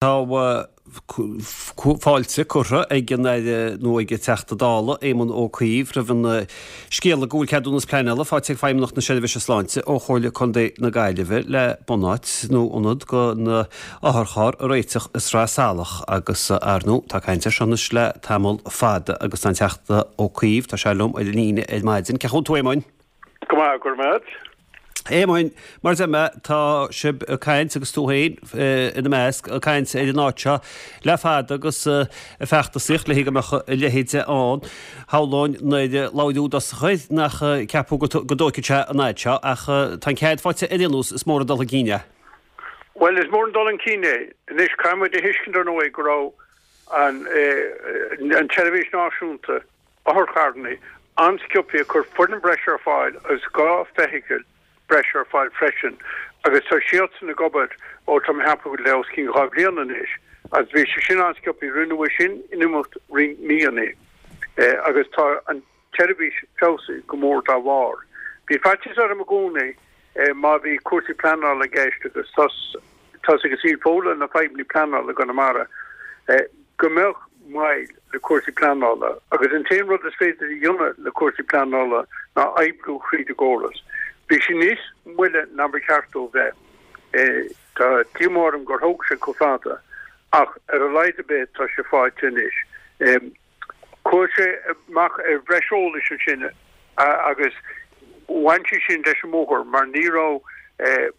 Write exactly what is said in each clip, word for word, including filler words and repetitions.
Tá fáilte curtha ag an Aire nó ag an Teachta Dála, Éamon Ó Cuív, roimh an scéala go bhfuil ceadúnas pleanála faighte ag Feidhmeannacht na Seirbhíse Sláinte ó Chomhairle Contae na Gaillimhe le bunáit nó ionad do na otharchairr a réiteach i Sraith Salach agus ar ndóigh tá caint air seo anois le tamall fada agus tá an Teachta Ó Cuív, tá sé liom ar an líne ar maidin. Cén chaoi a bhfuil tú, Éamoin? Go maith, go raibh maith agat. Éamoin, mar a deir mé, tá sibh ag caint agus tú féin ina measc ag caint ar an áit seo le fada agus ag feachtasaíocht le go mbeadh a leithéid ann. Shamhlóinn nuair a labhraíodh i dtosach air nach ceapadh go dtógfadh sé an fhad seo ach tá an cead faighte ar aon nós, is mór an dul chun cinn é. Bhuel, is mór an dul chun cinn é. Anois, caithfidh muid a thuiscint ar ndóigh go raibh an an tSeirbhís Náisiúnta Otharcharranna an-sciobtha ag cur foireann breise ar fáil agus dhá feithicil breise ar fáil freisin agus tá siadsan ag obair ó tá mé ag ceapadh le os cionn dhá bhliain anois agus bhí sé sin an-sciobtha, rinneadh é sin in imeacht roinnt míonna agus tá an tseirbhís feabhsaithe go mór dá bharr. Bhí faitíos orm i gcónaí má bhí cúrsaí pleanála i gceist agus tá tá's ag an saol Fódhla na fadhbanna pleanála i gConamara go mbeadh moill le cúrsaí pleanála agus an t-aon rud is féidir a dhéanamh le cúrsaí pleanála ná oibriú thríd an gcóras. Bhí sé níos moille ná ba cheart dó bheith. Tá díomá orm gur thóg sé chomh fada ach ar a laghad ar bith tá sé faighte anois. Chuaigh sé amach ar bhreis eolais ansin agus bhain sé sin leis an mbóthar mar ní raibh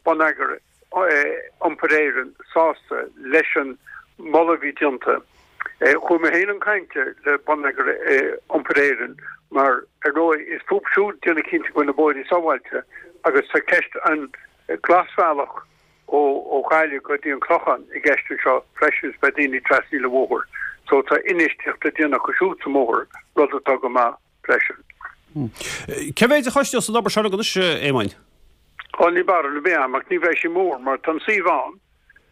bonneagar Iompair Éireann sásta leis an moladh a bhí déanta. Chuaigh mé féin chun cainte le Bonneagar Iompair Éireann mar, ar ndóigh, is fúthu siúd déanamh cinnte go bhfuil na bóithre sábháilte agus tá ceist an Glasbhealach ó Ghaillimh go dtí an Clochán i gceist anseo freisin is beidh daoine ag trasnaíl an bhóthair so tá infheistíocht le déanamh acu siúd sa mbóthar, rud atá go maith freisin. Cé mhéid a chosnós an obair seo anois, a Éamoinn? Á, níl barúil ar bith agam ach ní bheidh sí mór mar tá an suíomh ann,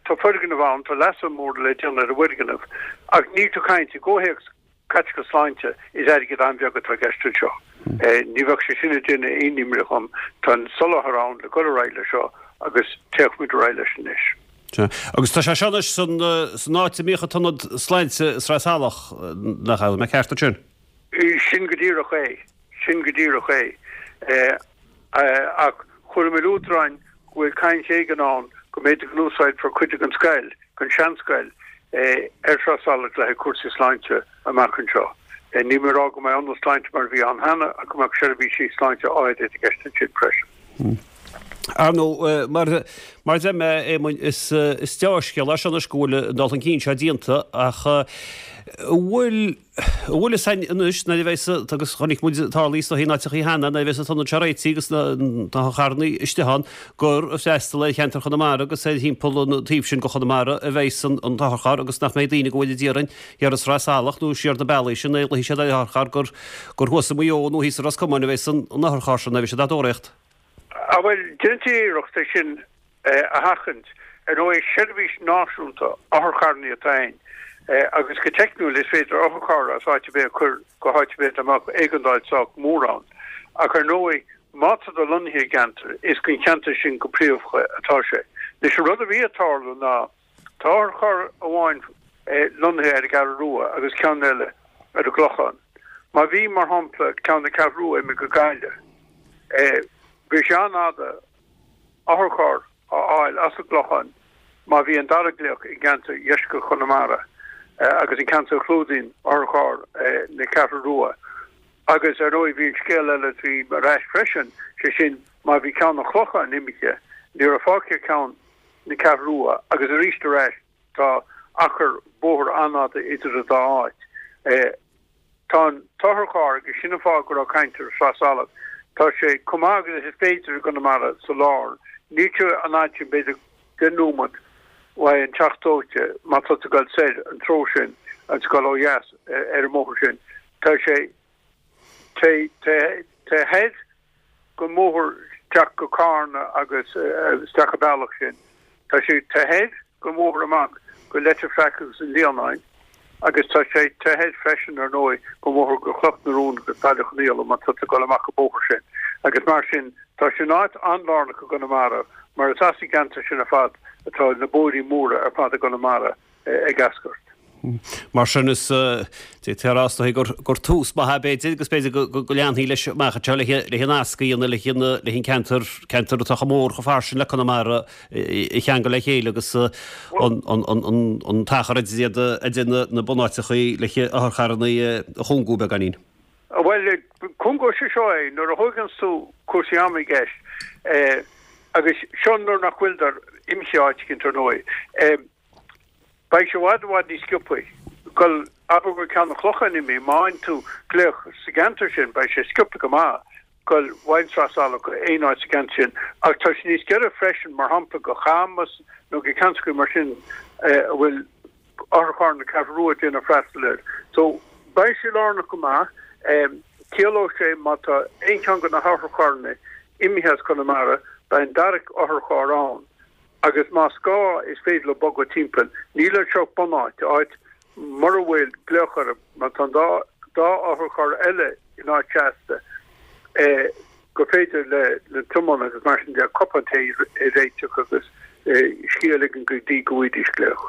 tá foirgneamh ann, tá leasuithe móra le déanamh ar an bhfoirgneamh ach níl tú ag caint i gcomhthéacs caiteachas sláinte, is airgead an-bheag atá i gceist anseo. Ní bheadh sé sin ag déanamh aon imní dhom, tá an soláthar ann le dul ar aghaidh leis seo agus téachaimid ar aghaidh leis anois. Sea. Agus tá sé seo anois san áit a mbíodh an t-ionad sláinte i Sraith Salach, nach ea? An bhfuil mé ceart ansin? Sin go díreach é. Sin go díreach é. Ach chuala mé luadráin go bhfuil caint éigin ann go mb'fhéidir go n-úsáidfear cuid den scoil, den seanscoil, ar Shraith Salach le haghaidh cúrsaí sláinte amach anseo. Níl mé ag rá go mbeidh ionad sláinte mar a bhí ann cheana ach go mbeadh seirbhísí sláinte áirid i gceist ansin freisin. Ar ndóigh, mar mar a deir mé, Éamoinn, is is deá-scéal é seo anois go bhfuil an dul chun cinn seo déanta ach an bhfuil an bhfuil fhios againn anois nuair a bheas agus chonaic muid tarlaí sna in áiteachaí cheana nuair a bheas an t-ionad seo réitithe agus na na hotharcharranna istigh ann gur ag freastal ar cheantar Chonamara agus ar thimpeall an taobh sin de Chonamara a bheas an an t-otharcharr agus nach mbeidh daoine go bhfuil i d'iarraidh thiar i Sraith Salach nó siar na bealaí sin a ghlaofaidh siad ar otharcharr gur gur thuas i Maigh Eo nó thíos i Ros Comáin a bheas an an otharcharr sin nuair a bheas siad á dtóraíocht. Á bhuel, déanfaí iarracht é sin a sheachaint. Ar ndóigh, seirbhís náisiúnta otharcharranna atá ann agus go teicniúil is féidir otharcharr as áit ar bith a chur go háit ar bith dá mbeadh éigeandáil sách mór ann. Ach ar ndóigh, má tá tú lonnaithe i gceantar, is don cheantar sin go príomha atá sé. Anois, an rud a bhí ag tarlú ná, tá otharcharr amháin lonnaithe ar an gCeathrú Rua agus ceann eile ar an gClochán. Má bhí, mar shampla, ceann na Ceathrú Rua imithe go Gaillimh, bhí sé an-fhada otharcharr a fháil as an gClochán má bhí an dara glaoch i gceantar dheisceart Chonamara agus an ceantar a chlúdaíonn otharcharr na Ceathrú Rua. Agus ar ndóigh bhí an scéal eile a bhí ar ais freisin, sé sin má bhí ceann an Chlocháin imithe, ní raibh fágtha ceann na Ceathrú Rua agus arís ar ais tá achar bóthair an-fhada idir an dá áit. Tá an t-otharcharr, agus sin an fáth go raibh caint ar Shraith Salach, tá sé chomh maith agus is féidir i gConamara sa lár. Níl sé an fhad sin, b'fhéidir deich nóiméad uaidh an Teach Dóite má tá tú ag dul soir an treo sin agus ag dul ó dheas ar an mbóthar sin. Tá sé taobh thoir den mbóthar isteach go Carna agus isteach an bealach sin. Tá sé taobh thoir den bhóthar amach go Leitir Fraic agus an Líonáin agus tá sé taobh thoir freisin ar ndóigh den bhóthar go Cloch na Rón agus Baile Chonghaile má tá tú ag dul amach an bóthar sin. Agus mar sin tá sé in áit an-lárnach i gConamara mar is as an gceantar sin ar fad atá na bóithrí móra ar fad i gConamara. ag eascairt. Mar sin is d'fhéadfaí a rá is dóigh gur gur tús maith é b'fhéidir agus b'fhéidir go go leanfaí leis amach anseo le le nasc a dhéanamh le le an ceantar ceantar atá chomh mór chomh fairsing le Conamara a cheangal le chéile agus an an an an an t-achar idir iad idir na na bunáiteachaí le otharcharranna a chúngú beagáinín. Bhuel, cúngóidh sé seo é nuair a thógann tú cúrsaí ama i gceist agus seo nuair nach bhfuiltear imithe áit éicint ar ndóigh. Beidh sé i bhfad i bhfad níos sciobthaí dul abair go Ceann an Chlocháin imithe, má fhaigheann tú glaoch sa gceantar sin beidh sé sciobtha go maith dul ón Sraith Salach go aon áit sa gceantar sin ach tá sé níos giorra freisin mar shampla go Camas nó go ceantracha mar sin a bhfuil otharcharr na Ceathrún Rua ag déanamh freastal air. So beidh sé lárnach go maith. Ciallóidh sé má tá aon cheann de na hotharcharranna imithe as Conamara, beidh an dara otharcharr ann agus más gá is féidir leo bogadh timpeall. Níl anseo ach bunáit, áit mura bhfuil glaoch orthu, má tá an dá dá otharcharr eile in áit seasta, gur féidir le le tiománaithe agus mar sin de cupán tae a réiteach agus scíth a ligean go dtí go bhfaighidís glaoch.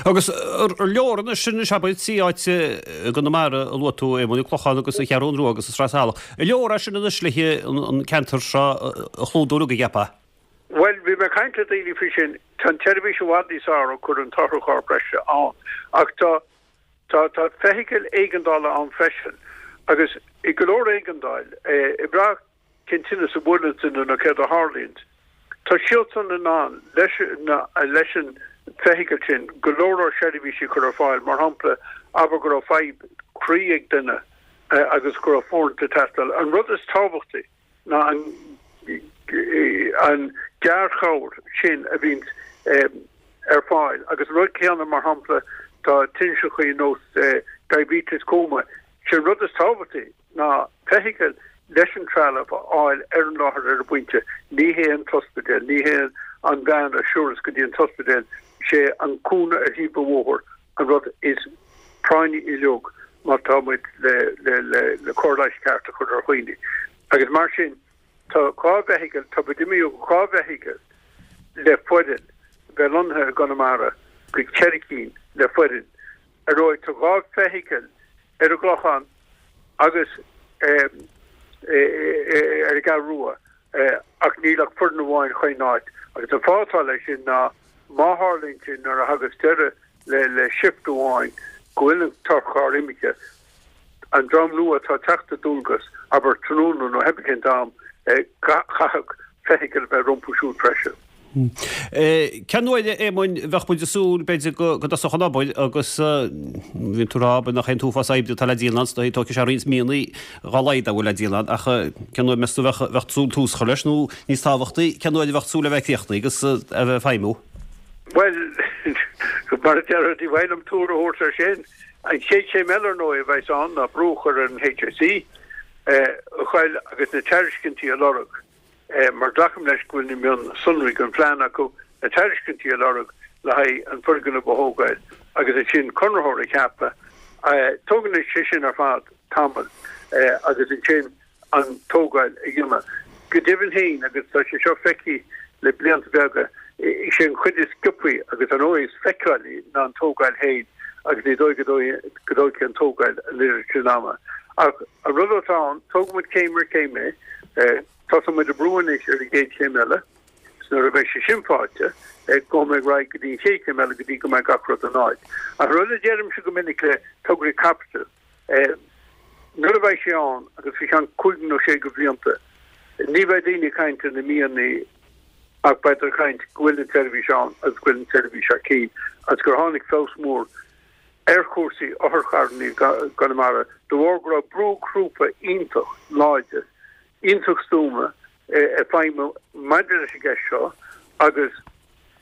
Agus ar leor anois sin is abair trí áit i gConamara a luaigh tú, Éamonn, an Clochán agus an Cheathrún Rua agus an Sraith Salach. Ar leor é sin anois le an ceantar seo a chlúdú uilig, an gceapfá? Bhuel, bhí mé ag caint le daoine faoi sin, tá an tseirbhís i bhfad níos fearr ó cuireadh an t-otharcharr breise ann. Ach tá tá tá feithicil éigeandála ann freisin agus i go leor éigeandáil, ag brath cén tinneas a bhuaileann duine nó céard a tharlaíonn, tá siadsan in ann leis na leis an feithicil sin go leor leor seirbhísí a chur ar fáil. Mar shampla, abair go raibh fadhb croí ag duine agus go raibh foireann ag teastáil. An rud is tábhachtaí ná an an ghéarchabhair sin a bhíonn ar fáil. Agus an rud céanna, mar shampla, tá tinneasachaí ar nós diabetes coma. Sé an rud is tábhachtaí ná feithicil leis an trealamh a fháil ar an láthair ar an bpointe. Ní hé an t-ospidéal, ní hé an veain a thiúrfas go dtí an t-ospidéal, sé an cúnamh ar thaobh an bhóthair an rud is práinní uilig má tá muid le le le le cóir leighis ceart a chur ar dhaoine. Agus mar sin, tá dhá bhfeithicil, tá muid imithe ó dhá bhfeithicil le foireann bheith lonnaithe i gConamara go ceithre cinn le foireann. Ar ndóigh, tá dhá feithicil ar an gClochán agus ar an gCeathrú Rua ach níl ach foireann amháin chaon áit agus an fáth atá leis sin ná má tharlaíonn sé nuair a thagas deireadh le le shift amháin go bhfuil an t-otharcharr imithe, an dream nua atá ag teacht ar dualgas, abair tráthnóna nó pé ar bith cén t-am, chaithfeadh feithicil a bheith rompu siúd freisin. Cén uair, a Éamoinn, a bheadh muid ag súil, b'fhéidir, go dtosódh an obair agus bhíonn tú ag rá, abair, nach é an t-uafás oibre atá le déanamh ann, is dóigh, tógfaidh sé roinnt míonna dá laghad a bhfuil le déanamh ann, ach cén uair, meas tú, a bheadh bheadh súil tús a chur leis nó, níos tábhachtaí, cén uair a bheadh súil le bheith críochnaithe agus a bheith ag feidhmiú? Bhuel, mar a déarfá, ní maith liom tuar a thabhairt air sin. An chéad chéim eile, ar ndóigh, a bheas ann ná brú a chur ar an HSE a ghoil agus na tairiscintí a lorg. mar glacaim leis go bhfuil na mionsonraí den phlean acu, na tairiscintí a lorg le haghaidh an foirgneamh a thógáil agus ansin conraitheoir a cheapadh. Tógann sé sin ar fad tamall agus ansin an tógáil a dhéanamh. Go deimhin féin, agus tá sé seo feicthe le blianta beaga, is é an chuid is sciobthaí agus ar ndóigh is feiceálaí ná an tógáil féin agus ní dóigh go dtógfaidh an tógáil an oiread sin ama. Ach an rud atá ann, tógfaimid céim ar chéim é. Tosóidh muid ag brú anois ar an gcéad chéim eile, is nuair a bheidh sé sin faighte, gabhfaidh muid ar aghaidh go dtí an chéad chéim eile go dtí go mbeidh gach rud in áit. Ach rud a deirimse go minic le tograí caipitil, nuair a bheidh sé ann, agus faoi cheann cúig nó sé de bhlianta, ní bheidh daoine ag caint ar na míonna ach beidh ag caint go bhfuil an tseirbhís ann agus go bhfuil an tseirbhís thar cinn agus gur tháinig feabhas mór ar chúrsaí otharcharranna i gConamara de bharr go raibh brúghrúpa iontach láidir iontach stuama ag feidhmiú maidir leis an gceist seo agus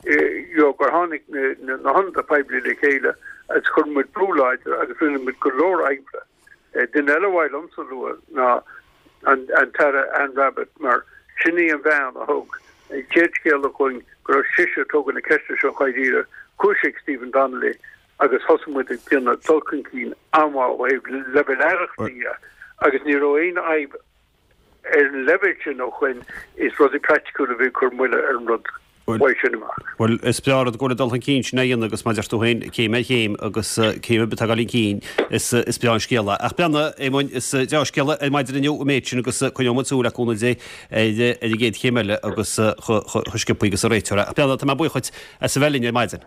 you know gur tháinig na hionadaithe poiblí le chéile agus chuir muid brú láidir agus rinne muid go leor oibre. Duine eile a mhaith liomsa a lua ná an tAire Anne Rabbitte mar sin í an bhean a thug an chéad scéala chugainn go raibh sise ag tógáil na ceiste seo dháiríre. Chuaigh sí ag Stephen Donnelly agus thosaigh muid ag déanamh dul chun cinn an-mhaith ó thaobh leibhéal aireachta dhe agus ní raibh aon fhadhb ar an leibhéal sin ó shoin, is rudaí praiticiúla a bhí ag cur moille ar an rud uaidh sin amach. Bhuel, is breá rud go bhfuil an dul chun cinn sin á dhéanamh agus mar a deir tú féin, céim ar chéim agus céim ar bith atá ag dul chun cinn, is is breá an scéal é. Ach breathnaigh, a Éamoinn, is dea-scéala ar maidin inniu an méid sin agus coinneoidh muid súil le cúnamh Dé ar ar an gcéad chéim eile agus chomh sciobtha agus a réiteofar é. Ach breathnaigh, tá mé buíoch dhuit as a bheith linn ar maidin.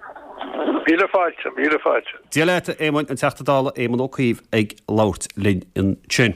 Míle fáilte, míle fáilte. Dia leat, a Éamoinn, an Teachta Dála Éamon Ó Cuív ag labhairt linn ansin.